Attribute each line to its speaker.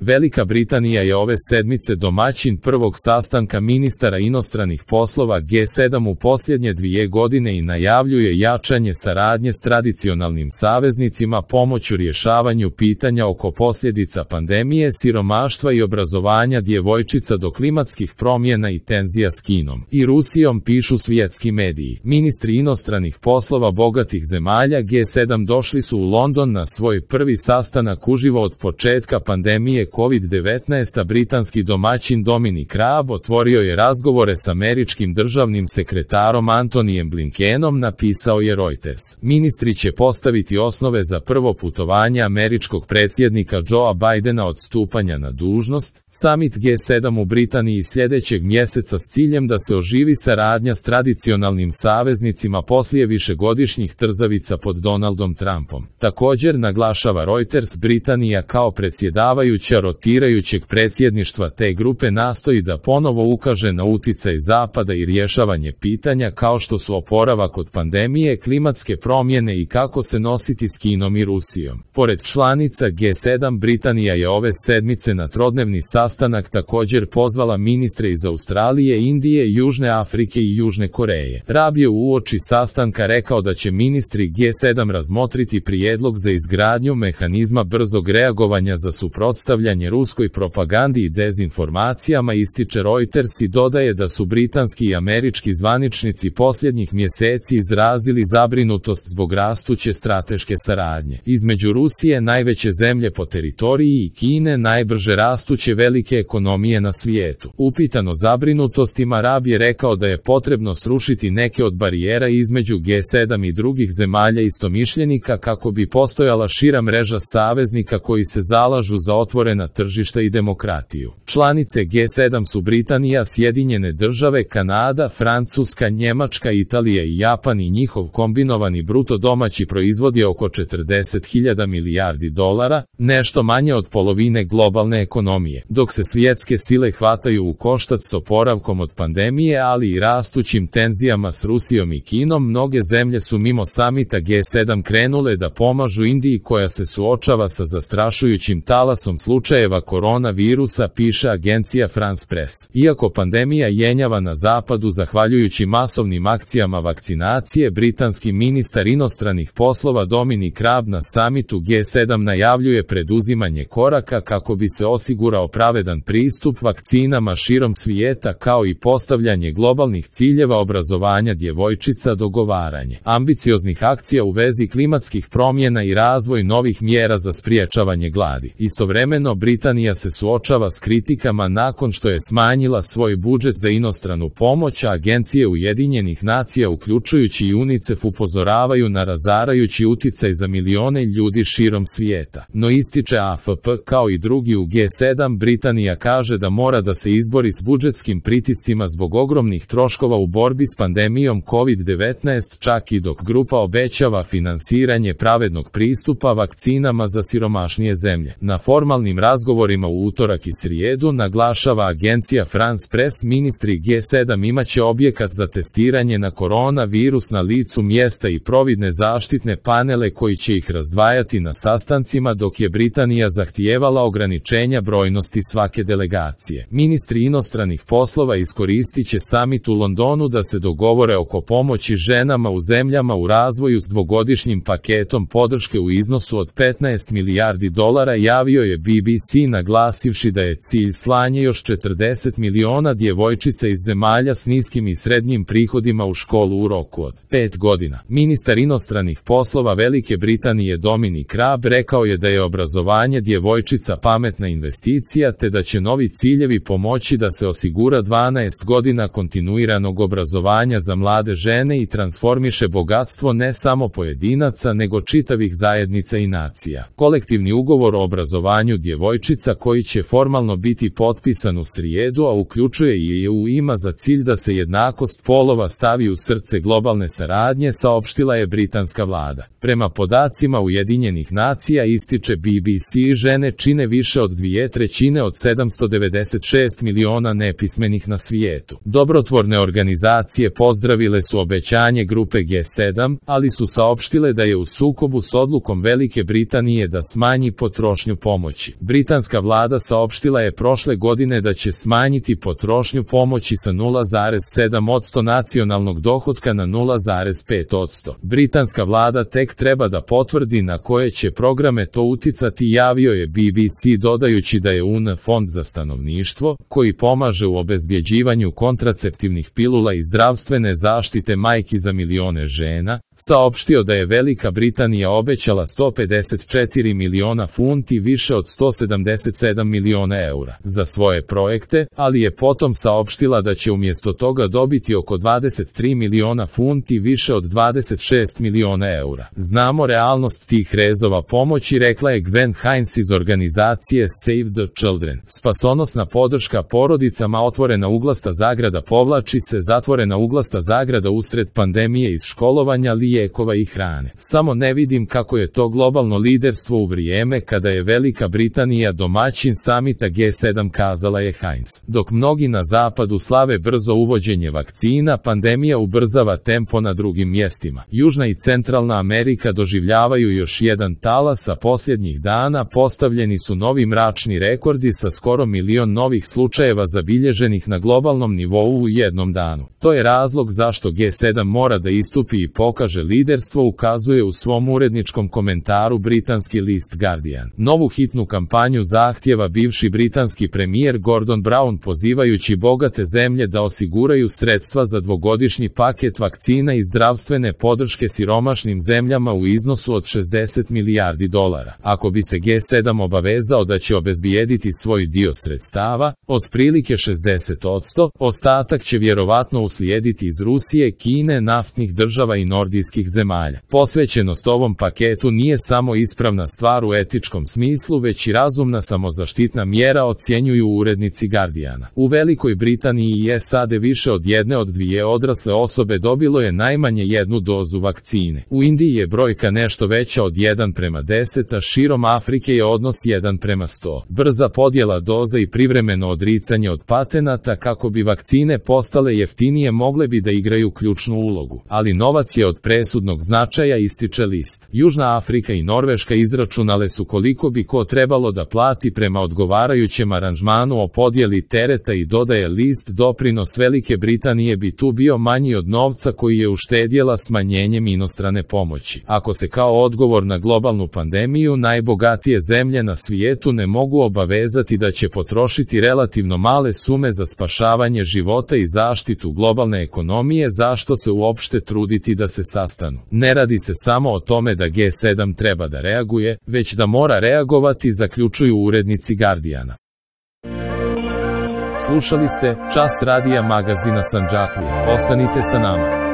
Speaker 1: Velika Britanija je ove sedmice domaćin prvog sastanka ministara inostranih poslova G7 u posljednje 2 godine i najavljuje jačanje saradnje s tradicionalnim saveznicima pomoću rješavanju pitanja oko posljedica pandemije, siromaštva i obrazovanja djevojčica do klimatskih promjena i tenzija s Kinom i Rusijom, pišu svjetski mediji. Ministri inostranih poslova bogatih zemalja G7 došli su u London na svoj prvi sastanak uživo od početka pandemije COVID-19, a britanski domaćin Dominic Raab otvorio je razgovore s američkim državnim sekretarom Antonijem Blinkenom, napisao je Reuters. Ministri će postaviti osnove za prvo putovanje američkog predsjednika Joea Bidena od stupanja na dužnost. Summit G7 u Britaniji sljedećeg mjeseca s ciljem da se oživi saradnja s tradicionalnim saveznicima poslije višegodišnjih trzavica pod Donaldom Trumpom. Također, naglašava Reuters, Britanija kao predsjedavajuća rotirajućeg predsjedništva te grupe nastoji da ponovo ukaže na utjecaj Zapada i rješavanje pitanja kao što su oporavak od pandemije, klimatske promjene i kako se nositi s Kinom i Rusijom. Pored članica G7, Britanija je ove sedmice na trodnevni sastanak također pozvala ministre iz Australije, Indije, Južne Afrike i Južne Koreje. Raab je uoči sastanka rekao da će ministri G7 razmotriti prijedlog za izgradnju mehanizma brzog reagovanja za suprotstavljanje ruskoj propagandi i dezinformacijama, ističe Reuters, i dodaje da su britanski i američki zvaničnici posljednjih mjeseci izrazili zabrinutost zbog rastuće strateške saradnje između Rusije, najveće zemlje po teritoriji, i Kine, najbrže rastuće velike ekonomije na svijetu. Upitan o zabrinutostima, Raab je rekao da je potrebno srušiti neke od barijera između G7 i drugih zemalja istomišljenika kako bi postojala šira mreža saveznika koji se zalažu za otvorena tržišta i demokratiju. Članice G7 su Britanija, Sjedinjene Države, Kanada, Francuska, Njemačka, Italija i Japan, i njihov kombinovani bruto domaći proizvod je oko 40.000 milijardi dolara, nešto manje od polovine globalne ekonomije. Dok se svjetske sile hvataju u koštac s oporavkom od pandemije, ali i rastućim tenzijama s Rusijom i Kinom, mnoge zemlje su mimo samita G7 krenule da pomažu Indiji koja se suočava sa zastrašujućim talasom slučajeva koronavirusa, piše agencija France Press. Iako pandemija jenjava na zapadu zahvaljujući masovnim akcijama vakcinacije, britanski ministar inostranih poslova Dominic Raab na samitu G7 najavljuje preduzimanje koraka kako bi se osigurao pravedan pristup vakcinama širom svijeta, kao i postavljanje globalnih ciljeva obrazovanja djevojčica, dogovaranje ambicioznih akcija u vezi klimatskih promjena i razvoj novih mjera za spriječavanje gladi. Istovremeno, Britanija se suočava s kritikama nakon što je smanjila svoj budžet za inostranu pomoć, a agencije Ujedinjenih nacija uključujući i UNICEF upozoravaju na razarajući utjecaj za milijone ljudi širom svijeta. No, ističe AFP, kao i drugi u G7, Britanija kaže da mora da se izbori s budžetskim pritiscima zbog ogromnih troškova u borbi s pandemijom COVID-19, čak i dok grupa obećava finansiranje pravednog pristupa vakcinama za siromašnije zemlje. Na formalnim razgovorima u utorak i srijedu, naglašava agencija France Press, ministri G7 imaće objekat za testiranje na koronavirus na licu mjesta i providne zaštitne panele koji će ih razdvajati na sastancima, dok je Britanija zahtijevala ograničenja brojnosti svake delegacije. Ministri inostranih poslova iskoristit će samit u Londonu da se dogovore oko pomoći ženama u zemljama u razvoju s dvogodišnjim paketom podrške u iznosu od 15 milijardi dolara, javio je BBC, naglasivši da je cilj slanje još 40 miliona djevojčica iz zemalja s niskim i srednjim prihodima u školu u roku od 5 godina. Ministar inostranih poslova Velike Britanije Dominic Raab rekao je da je obrazovanje djevojčica pametna investicija, te da će novi ciljevi pomoći da se osigura 12 godina kontinuiranog obrazovanja za mlade žene i transformiše bogatstvo ne samo pojedinaca nego čitavih zajednica i nacija. Kolektivni ugovor o obrazovanju djevojčica, koji će formalno biti potpisan u srijedu, a uključuje i EU, ima za cilj da se jednakost polova stavi u srce globalne saradnje, saopštila je britanska vlada. Prema podacima Ujedinjenih nacija, ističe BBC, žene čine više od 2/3 od 796 miliona nepismenih na svijetu. Dobrotvorne organizacije pozdravile su obećanje grupe G7, ali su saopštile da je u sukobu s odlukom Velike Britanije da smanji potrošnju pomoći. Britanska vlada saopštila je prošle godine da će smanjiti potrošnju pomoći sa 0,7% nacionalnog dohotka na 0,5%. Britanska vlada tek treba da potvrdi na koje će programe to uticati, javio je BBC, dodajući da je UN fond za stanovništvo, koji pomaže u obezbjeđivanju kontraceptivnih pilula i zdravstvene zaštite majki za milione žena, saopštio da je Velika Britanija obećala 154 miliona funti, više od 177 miliona eura, za svoje projekte, ali je potom saopštila da će umjesto toga dobiti oko 23 miliona funti, više od 26 miliona eura. Znamo realnost tih rezova pomoći, rekla je Gwen Hines iz organizacije Save the Children. Spasonosna podrška porodicama, otvorena uglasta zagrada, povlači se zatvorena uglasta zagrada usred pandemije iz školovanja, lijekova i hrane. Samo ne vidim kako je to globalno liderstvo u vrijeme kada je Velika Britanija domaćin samita G7, kazala je Hines. Dok mnogi na zapadu slave brzo uvođenje vakcina, pandemija ubrzava tempo na drugim mjestima. Južna i Centralna Amerika doživljavaju još jedan talas, a posljednjih dana postavljeni su novi mračni rekordi sa skoro milion novih slučajeva zabilježenih na globalnom nivou u jednom danu. To je razlog zašto G7 mora da istupi i pokaže liderstvo, ukazuje u svom uredničkom komentaru britanski list Guardian. Novu hitnu kampanju zahtjeva bivši britanski premijer Gordon Brown, pozivajući bogate zemlje da osiguraju sredstva za dvogodišnji paket vakcina i zdravstvene podrške siromašnim zemljama u iznosu od 60 milijardi dolara. Ako bi se G7 obavezao da će obezbijediti svoj dio sredstava, otprilike 60%, ostatak će vjerovatno uslijediti iz Rusije, Kine, naftnih država i nordijskih zemalja. Posvećenost ovom paketu nije samo ispravna stvar u etičkom smislu, već i razumna samozaštitna mjera, ocjenjuju urednici Guardiana. U Velikoj Britaniji i SAD više od 1 od 2 odrasle osobe dobilo je najmanje jednu dozu vakcine. U Indiji je brojka nešto veća od 1:10, a širom Afrike je odnos 1:100. Brza podjela doza i privremeno odricanje od patenata kako bi vakcine postale jeftinije mogle bi da igraju ključnu ulogu, ali novac je od presudnog značaja, ističe list. Južna Afrika i Norveška izračunale su koliko bi ko trebalo da plati prema odgovarajućem aranžmanu o podjeli tereta i, dodaje list, doprinos Velike Britanije bi tu bio manji od novca koji je uštedjela smanjenjem inostrane pomoći. Ako se kao odgovor na globalnu pandemiju najbogatije zemlje na svijetu ne mogu obavezati da će potrošiti relativno male sume za spašavanje života i zaštitu globalne ekonomije, zašto se uopšte truditi da se sastanu? Ne radi se samo o tome da G7 treba da reaguje, već da mora reagovati, zaključuju urednici Guardiana. Slušali ste Čas radija magazina Sandžaklija. Ostanite sa nama.